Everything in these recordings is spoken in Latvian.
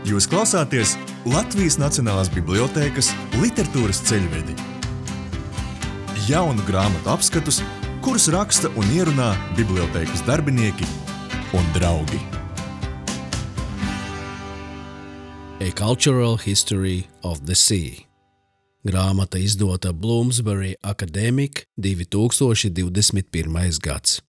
Jūs klausāties Latvijas Nacionālās bibliotēkas literatūras ceļvedi. Jaunu grāmatu apskatus, kurus raksta un ierunā bibliotēkas darbinieki un draugi. A Cultural History of the Sea. Grāmata izdota Bloomsbury Academic 2021. gads.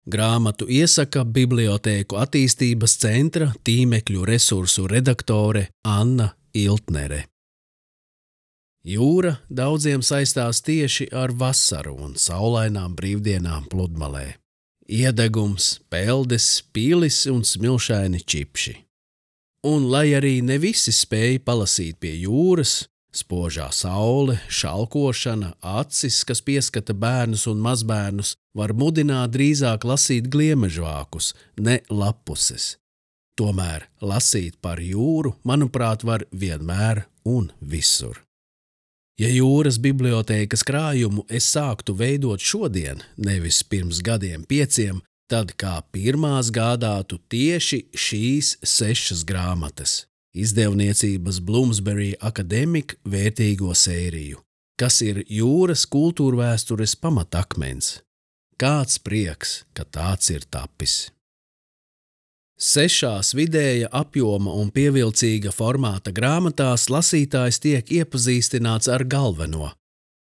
Grāmatu iesaka Bibliotēku attīstības centra tīmekļu resursu redaktore Anna Iltnere. Jūra daudziem saistās tieši ar vasaru un saulainām brīvdienām pludmalē. Iedegums, peldes, pīlis un smilšaini čipši. Un lai arī ne visi spēja palasīt pie jūras, spožā saule, šalkošana, acis, kas pieskata bērnus un mazbērnus, var mudināt drīzāk lasīt gliemežvākus, ne lappuses. Tomēr lasīt par jūru, manuprāt, var vienmēr un visur. Ja jūras bibliotēkas krājumu es sāktu veidot šodien, nevis pirms gadiem 5, tad kā pirmās gādātu tieši šīs 6 grāmatas. Izdevniecības Bloomsbury Academic vērtīgo sēriju, kas ir jūras kultūrvēstures pamatakmens. Kāds prieks, ka tāds ir tapis. 6 vidēja apjoma un pievilcīga formāta grāmatās lasītājs tiek iepazīstināts ar galveno,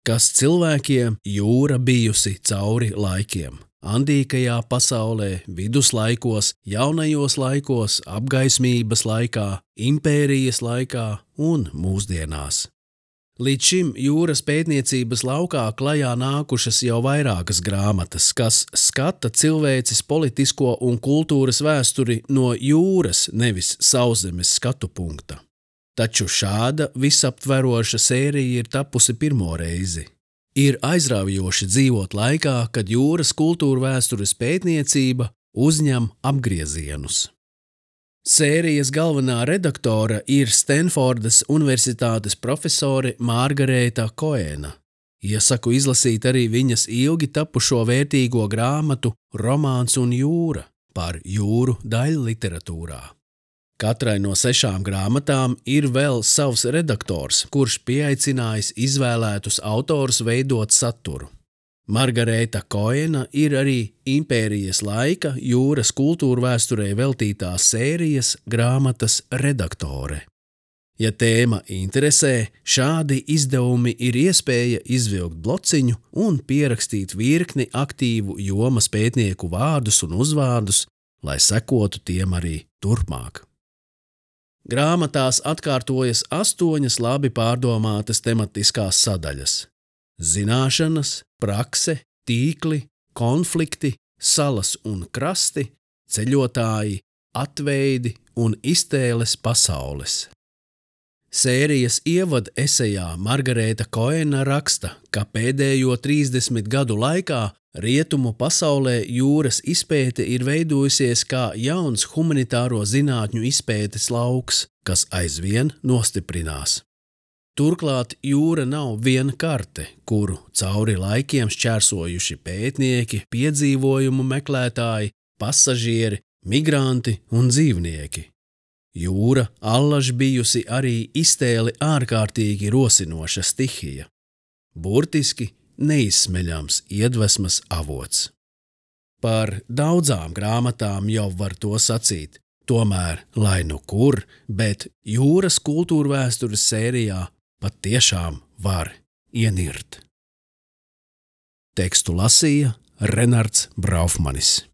kas cilvēkiem jūra bijusi cauri laikiem. Andīkajā pasaulē, viduslaikos, jaunajos laikos, apgaismības laikā, impērijas laikā un mūsdienās. Līdz šim jūras pētniecības laukā klajā nākušas jau vairākas grāmatas, kas skata cilvēces politisko un kultūras vēsturi no jūras, nevis sauszemes skatu punkta. Taču šāda visaptveroša sērija ir tapusi pirmo reizi. Ir aizraujoši dzīvot laikā, kad jūras kultūrvēstures pētniecība uzņem apgriezienus. Sērijas galvenā redaktore ir Stenfordas Universitātes profesore Margarēta Koena. Iesaku izlasīt arī viņas ilgi tapušo vērtīgo grāmatu Romāns un jūra par jūru daļliteratūrā. Katrai no 6 grāmatām ir vēl savs redaktors, kurš pieaicinājis izvēlētus autorus veidot saturu. Margarēta Koena ir arī impērijas laika jūras kultūrvēsturei veltītās sērijas grāmatas redaktore. Ja tēma interesē, šādi izdevumi ir iespēja izvilkt blociņu un pierakstīt virkni aktīvu jomas pētnieku vārdus un uzvārdus, lai sekotu tiem arī turpmāk. Grāmatās atkārtojas 8 labi pārdomātas tematiskās sadaļas – zināšanas, prakse, tīkli, konflikti, salas un krasti, ceļotāji, atveidi un iztēles pasaules. Sērijas ievada esejā Margarēta Koena raksta, ka pēdējo 30 gadu laikā rietumu pasaulē jūras izpēte ir veidojusies kā jauns humanitāro zinātņu izpētes lauks, kas aizvien nostiprinās. Turklāt jūra nav viena karte, kuru cauri laikiem šķērsojuši pētnieki, piedzīvojumu meklētāji, pasažieri, migranti un dzīvnieki. Jūra allaž bijusi arī iztēli ārkārtīgi rosinoša stihija. Burtiski neizsmeļams iedvesmas avots. Par daudzām grāmatām jau var to sacīt, tomēr, lai nu kur, bet jūras kultūrvēstures sērijā pat tiešām var ienirt. Tekstu lasīja Renards Braufmanis.